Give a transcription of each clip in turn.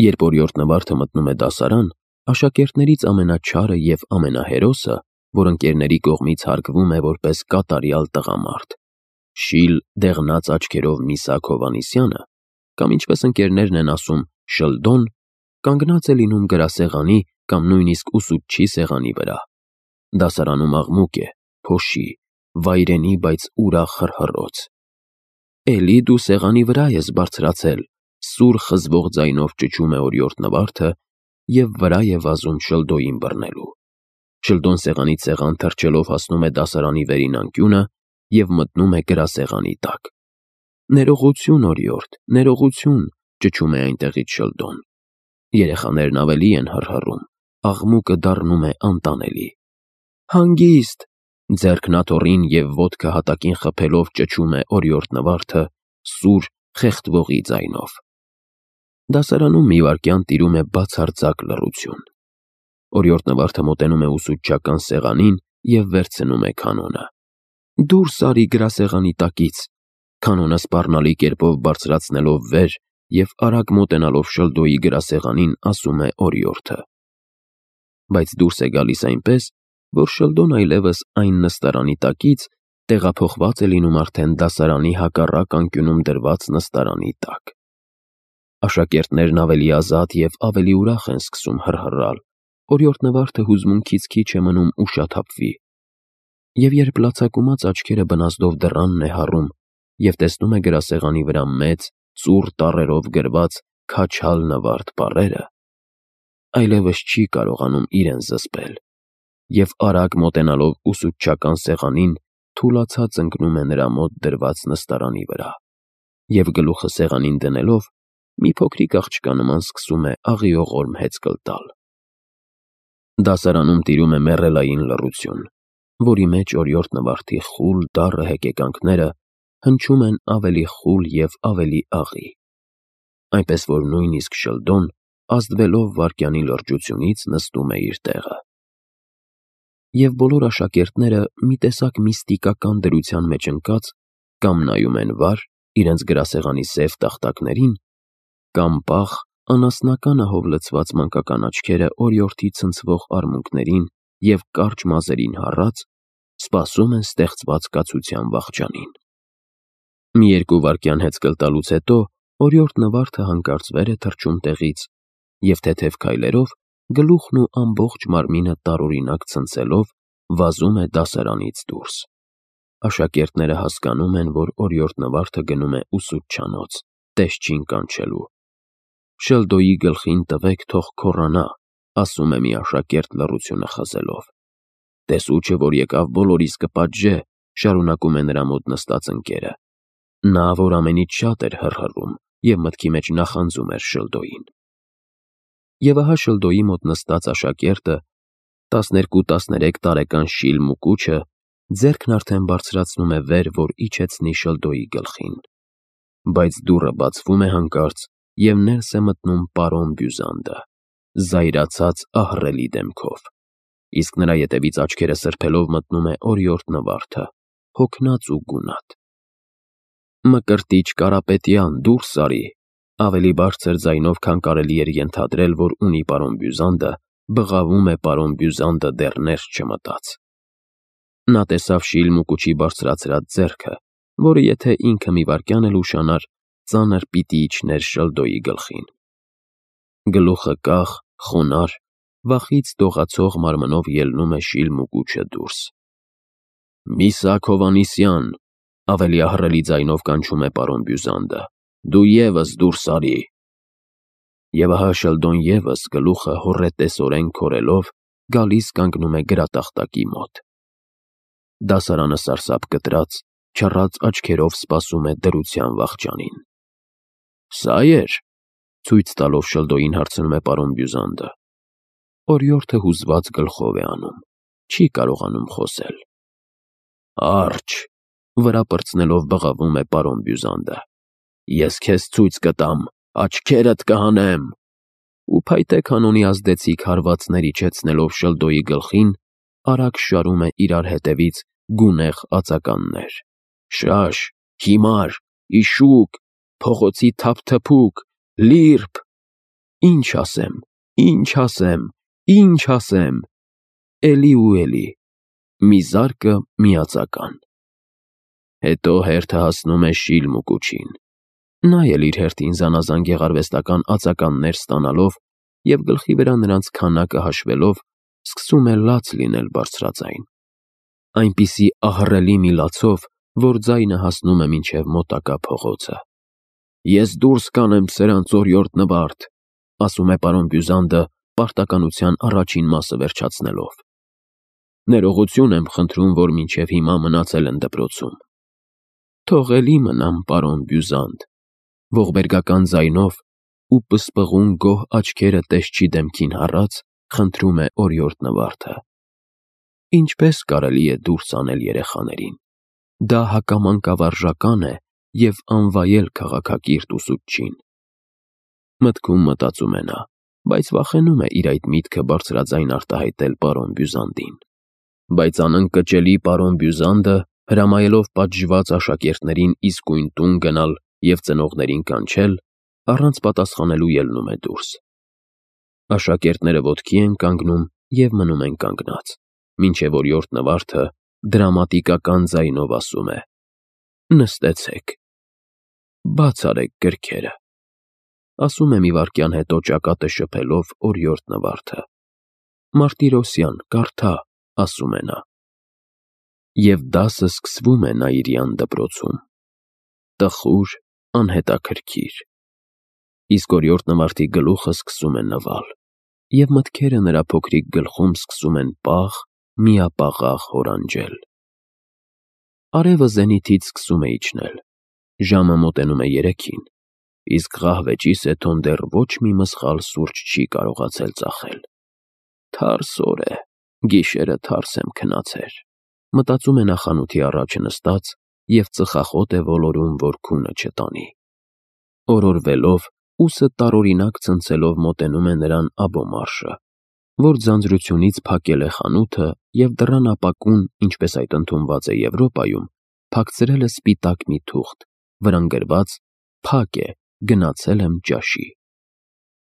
Երբ օրիորդ Նվարդը մտնում է դասարան, աշակերտներից ամենաչարը և ամենահերոսը, որ ընկերների կողմից հարգվում է որպես կատարյալ տղամարդ, շիլ դեղնած աչքերով Միսաք Հովհաննիսյանը, կամ ինչպես ընկերներն են ասում Շլդոն, կանգնած է լինում գրասեղանի կամ նույնիսկ ուսուցչի սեղանի վրա։ Դասարանում աղմուկ է, փոշի, վայրենի, բայց ուրախ հռհռոց։ «Էլի դու սեղանի վրա ես բարձրացել», սուր խզվող ձայնով ճչում է օրիորդ Նվարդը և վրա է վազում Շլդոյին բռնելու։ Շլդոն սեղանից սեղան թռչելով հասնում է դասարանի վերին անկյունը և մտնում է գրասեղանի տակ։ «Ներողություն, օրիորդ, ներողություն», ճչում է այնտեղից Շլդոն։ Երեխաներն ավելի են հռհռում, աղմուկը դառնում է անտանելի։ «Հանգիստ», ձեռքն աթոռին և ոտքը հատակին խփելով ճչում է օրիորդ Նվարդը սուր, խեղդվողի ձայնով։ Դասարանում մի վայրկյան տիրում է բացարձակ լռություն։ Օրիորդ Նվարդը մոտենում է ուսուցչական սեղանին և վերցնում է կանոնը։ «Դուրս արի գրասեղանի տակից», կանոնը սպառնալի կերպով բարձրացնելով վեր և արագ մոտենալով Շլդոյի գրասեղանին ասում է օրիորդը։ Բայց դուրս է գալիս այնպես, որ Շլդոն այլևս այն նստարանի տակից տեղափոխված է լինում արդեն դասարանի հակառակ անկյունում դրված նստարանի տակ։ Աշակերտներն ավելի ազատ և ավելի ուրախ են սկսում հռհռալ, օրիորդ Նվարդը հուզմունքից քիչ է մնում ուշաթափվի։ Եվ երբ լացակումած աչքերը բնազդով դռանն է հառում և տեսնում է գրասեղանի վրա մեծ, ծուռ տառերով գրված «Քաչալ Նվարդ» բառերը, այլևս չի կարողանում իրեն զսպել և արագ մոտենալով ուսուցչական սեղանին թուլացած ընկնում է նրա մոտ դրված նստարանի վրա և գլուխը սեղանին դնելով մի փոքրիկ աղջկա նման սկսում է աղիողորմ հեծկլ տալ։ Դասարանում տիրում է մեռելային լռություն, որի մեջ օրիորդ Նվարդի խուլ դառը հեկեկանքները հնչում են ավելի խուլ և ավելի աղի, այնպես որ նույնիսկ Շլդոն, ազդվելով վայրկյանի լրջությունից, նստում է իր տեղը։ Եվ բոլոր աշակերտները մի տեսակ միստիկական դրության մեջ ընկած կամ նայում են վար իրենց գրասեղանի սև տախտակներին, կամ պաղ, անասնական ահով լցված մանկական աչքերը օրիորդի ցնցվող արմունկներին և կարճ մազերին հառած, սպասում են ստեղծված կացության վախճանին։ Մի երկու վայրկյան հեծկլ տալուց հետո օրիորդ Նվարդը հանկարծ վեր է թռչում տեղից և թեթև քայլերով, գլուխն ու ամբողջ մարմինը տարօրինակ ցնցելով, վազում է դասարանից դուրս։ Աշակերտները հասկանում են, որ օրիորդ Նվարդը գնում է ուսուցչանոց, տեսչին կանչելու։ «Շլդոյի գլխին տվեք, թող քոռանա», ասում է մի աշակերտ լռությունը խզելով։ «Տեսու չէ, որ եկավ բոլորիս կպատժե», շարունակում է նրա մոտ նստած ընկերը։ Նա, որ ամենից շատ էր հռհռում և մտքի մեջ նախանձում էր Շլդոյին։ Եվ ահա Շլդոյի մոտ նստած աշակերտը, 12-13 տարեկան շիլ Մուկուչը, ձեռքն արդեն բարձրացնում է վեր, որ իջեցնի Շլդոյի գլխին։ Բայց դուռը բացվում է հանկարծ, և ներս է մտնում պարոն Բյուզանդը, զայրացած ահռելի դեմքով, իսկ նրա ետևից աչքերը սրբելով մտնում է օրիորդ Նվարդը, հոգնած ու գունատ։ «Մկրտիչ Կարապետյան, դուրս արի», ավելի բարձր ձայնով, քան կարելի էր ենթադրել, որ ունի պարոն Բյուզանդը, բղավում է պարոն Բյուզանդը դեռ ներս չմտած։ Նա տեսավ շիլ Մուկուչի բարձրացրած ձեռքը, որը եթե ինքը մի վայրկյան էլ ուշանար, ծանր պիտի իջներ Շլդոյի գլխին։ Գլուխը կախ, խոնարհ, վախից դողացող մարմնով ելնում է շիլ Մուկուչը դուրս։ «Միսաք Հովհաննիսյան», ավելի ահռելի ձայնով կանչում է պարոն Բյուզանդը, «դու ևս դուրս արի»։ Եվ ահա Շլդոն ևս գլուխը հոռետեսորեն քորելով գալիս կանգնում է գրատախտակի մոտ։ Դասարանը սարսափ կտրած, չռած աչքերով սպասում է դրության վախճանին։ «Սա էր», ցույց տալով Շլդոյին հարցնում է պարոն Բյուզանդը։ Օրիորդը հուզված գլխով է անում, չի կարողանում խոսել։ «Արջ», վրա պրծնելով բղավում է պարոն Բյուզանդը, «ես քեզ ցույց կտամ, աչքերդ կհանեմ»։ Ու փայտե կանոնի ազդեցիկ հարվածներ իջեցնելով Շլդոյի գլխին, արագ շարում է իրար հետևից գունեղ ածականներ. «Շաշ, հիմար, իշուկ, փողոցի թափթփուկ, լիրբ»։ Ինչ ասեմ, ինչ ասեմ, ինչ ասեմ, էլի ու էլի, մի զարկը միածական։ Հետո հերթը հասնում է շիլմ ու կուչին։ Նա էլ իր հերթին զանազան գեղարվեստական ածականներ ստանալով և գլխի վրա նրանց քանակը հաշվելով, սկսում է լաց լինել բարձրաձայն։ Այնպիսի ահռելի մի լացով, որ ձայնը հասնում է մինչև մոտակա փողոցը։ «Ես դուրս կանեմ սրանց օրիորդ նվարդ», ասում է պարոն Բյուզանդը պարտականության առաջին մասը վերջացնելով։ «Ներողություն եմ խնդրում, որ մինչև հիմա մնացել են դպրոցում»։ «Թող էլի մնամ, պարոն Բյուզանդ», ողբերգական ձայնով ու պսպղուն գոհ աչքերը տեսչի դեմքին հառած, խնդրում է օրիորդ Նվարդը։ Ինչպես կարելի է դուրս անել երեխաներին։ Դա հակամանկավարժական է և անվայել քաղաքակիրթ ուսուցչին։ Մտքում մտածում է նա, բայց վախենում է իր այդ միտքը բարձրաձայն արտահայտել պարոն Բյուզանդին։ Բայց անընկճելի պարոն Բյուզանդը, հրամայելով պատժված աշակերտներին իսկույն տուն գնալ և ծնողներին կանչել, առանց պատասխանելու ելնում է դուրս։ Աշակերտները ոտքի են կանգնում և մնում են կանգնած, մինչև օրիորդ Նվարդը դրամատիկական ձայնով ասում է. «Նստեցեք, բաց արեք գրքերը», ասում է մի վայրկյան հետո ճակատը շփելով օրիորդ Նվարդը։ «Մարտիրոսյան, կարդա», ասում է նա։ Եվ դասը սկսվում է Նաիրյան դպրոցում։ Տխուր, անհետաքրքիր։ Իսկ օրիորդ Նվարդի գլուխը սկսում է նվալ, և մտքերը նրա փոքրիկ գլխում սկսում են պաղ, միապաղաղ հորանջել։ Արևը զենիթից սկսում է իջնել։ Ժամը մոտենում է 3-ին, իսկ ղահվեճի Սեթոն դեռ ոչ մի մսխալ սուրճ չի կարողացել ծախել։ Թարս օր է, գիշերը թարս եմ քնացեր, մտածում է նա խանութի առաջ նստած և ծխախոտ է ոլորում, որ քունը չտանի։ Օրորվելով, ուսը տարօրինակ ցնցելով մոտենում է նրան Աբոմարշը, որ ձանձրությունից փակել է խանութը և դռան ապակուն, ինչպես այդ ընդունված է Եվրոպայում, փակցրել է սպիտակ մի թուղթ, վրան գրված «Փակ է, գնացել եմ ճաշի»։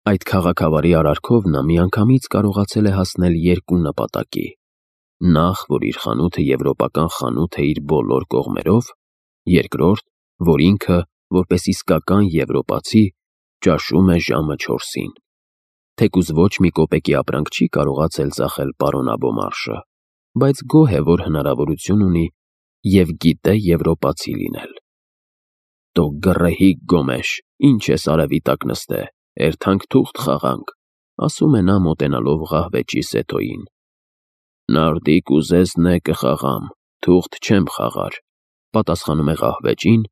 Այդ քաղաքավարի արարքով նա միանգամից կարողացել է հասնել երկու նպատակի. նախ, որ իր խանութը եվրոպական խանութ է իր բոլոր կողմերով, երկրորդ, որ ինքը, որպես իսկական եվրոպացի, ճաշում է ժամը 4-ին։ Թեկուզ ոչ մի կոպեկի ապրանք չի կարողացել ծախել պարոն Աբոմարշը, բայց գոհ է, որ հնարավորություն ունի և գիտե եվրոպացի լինել։ «Տո գռեհիկ գոմեշ, ինչ ես արևի տակ նստե, էրթանք թուղթ խաղանք», ասում է նա մոտենալով ղահվեճի Սեթոյին։ «Նարդիկ ուզես նե կխաղամ, թուղթ չեմ խաղար», պատասխանում է ղահվեճին,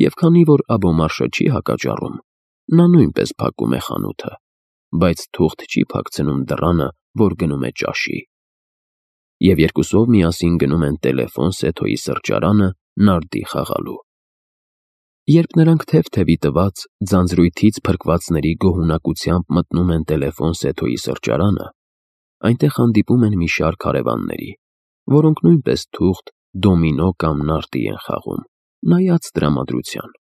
և քանի որ Աբոմարշը չի հակաճառում, նա նույնպես փակում է խանութը, բայց թուղթ չի փակցնում դռանը, որ գնում է ճաշի։ Եվ երկուսով միասին գնում են տելեֆոն Սեթոյի սրճարանը նարդի խաղալու։ Երբ նրանք թև-թևի տված, ձանձրույթից փրկվածների գոհունակությամբ մտնում են տելեֆոն Սեթոյի սրճարանը, այնտեղ հանդիպում են մի շարք հարևանների, որոնք նույնպես թուղթ, դոմինո կամ նարդի են խաղում, նայած տրամադրության։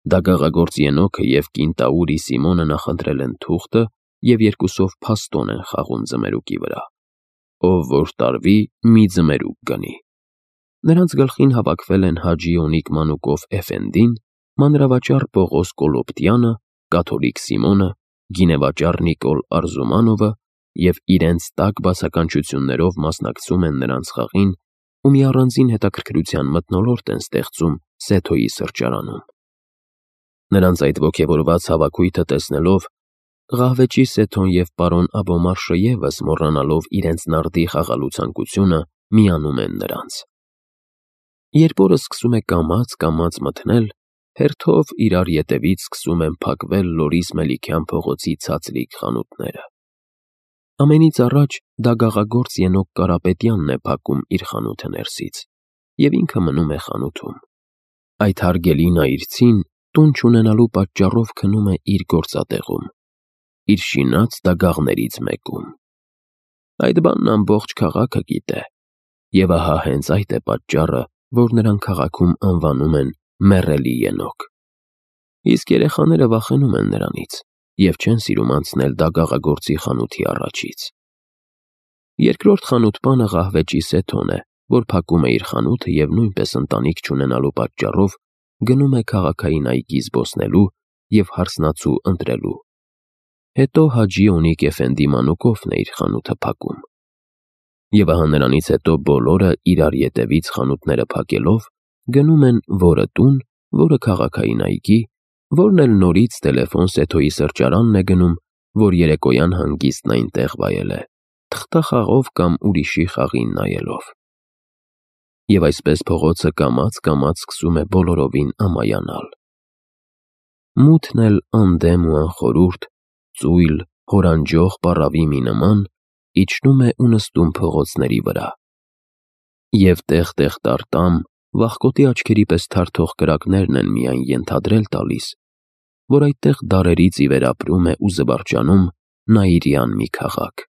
Դագաղագործ Ենոքը և կինտաուրի Սիմոնը նախընտրել են թուղթը և երկուսով փաստոն են խաղում ձմերուկի վրա։ Ով որ տարվի, մի ձմերուկ գնի։ Նրանց գլխին հավաքվել են Հաջի Օնիկ Մանուկով Էֆենդին, մանրավաճառ Պողոս Կոլոպտյանը, կաթոլիկ Սիմոնը, գինեվաճառ Նիկոլ Արզումանովը և իրենց տաք բացականչություններով մասնակցում են նրանց խաղին ու մի առանձին հետաքրքրության մթնոլորտ են ստեղծում Սեթոյի սրճարանում։ Նրանց այդ ոգևորված հավաքույթը տեսնելով, ղահվեճի Սեթոն և պարոն Աբոմարշը ևս մոռանալով իրենց նարդի խաղալու ցանկությունը, միանում են նրանց։ Երբ օրը սկսում է կամաց մթնել, հերթով իրար ետևից սկսում են փակվել Լորիս Մելիքյան փողոցի ցածլիկ խանութները։ Ամենից առաջ դագաղագործ Ենոք Կարապետյանն է փակում իր խանութը ներսից, և ինքը մնում է խանութում։ Այդ հարգելի նայիրցին տուն չունենալու պատճառով քնում է իր գործատեղում, իր շինած դագաղներից մեկում։ Այդ բանն ամբողջ քաղաքը գիտե, և ահա հենց այդ է պատճառը, որ նրան քաղաքում անվանում են Մեռելի Ենոք։ Իսկ երեխաները վախենում են նրանից և չեն սիրում անցնել դագաղագործի խանութի առաջից։ Երկրորդ խանութպանը ղահվեջի Սեթոն է, որ փակում է իր խանութը և նույնպես ընտանիք չունենալու պատճառով գնում է քաղաքային այգի զբոսնելու և հարսնացու ընտրելու։ Հետո Հաջի Օնիկ Էֆենդի մանուկովն է իր խանութը փակում։ Եվ ահա նրանից հետո բոլորը իրար ետևից խանութները փակելով գնում են որը տուն, որը քաղաքային այգի, որն էլ նորից տելեֆոն Սեթոյի սրճարանն է գնում, որ երեկոյան հանգիստն այնտեղ վայել է, թղթախաղով կամ ուրիշի խաղին նայելով։ Եվ այսպես փողոցը կամաց-կամաց սկսում է բոլորովին ամայանալ։ Մութն էլ անդեմ ու անխորուրդ, ծույլ, հորանջող պառավի մի նման իջնում է ու նստում փողոցների վրա։ Եվ տեղ-տեղ տարտամ, վախկոտի աչքերի պես թարթող կրակներն են միայն ենթադրել տալիս, որ այդտեղ դարերից ի վեր ապրում է ու զվարճանում Նաիրյան մի քաղաք։